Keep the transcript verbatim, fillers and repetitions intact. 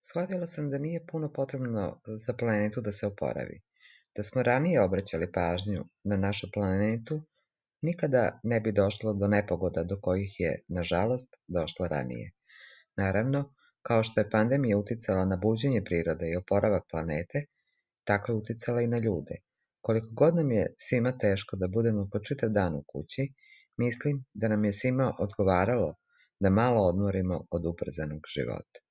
Shvatila sam da nije puno potrebno za planetu da se oporavi. Da smo ranije obraćali pažnju na našu planetu, nikada ne bi došlo do nepogoda do kojih je, nažalost, došlo ranije. Naravno, kao što je pandemija uticala na buđenje prirode i oporavak planete, tako je uticala i na ljude. Koliko god nam je svima teško da budemo po čitav dan u kući, mislim da nam je svima odgovaralo da malo odmorimo od ubrzanog života.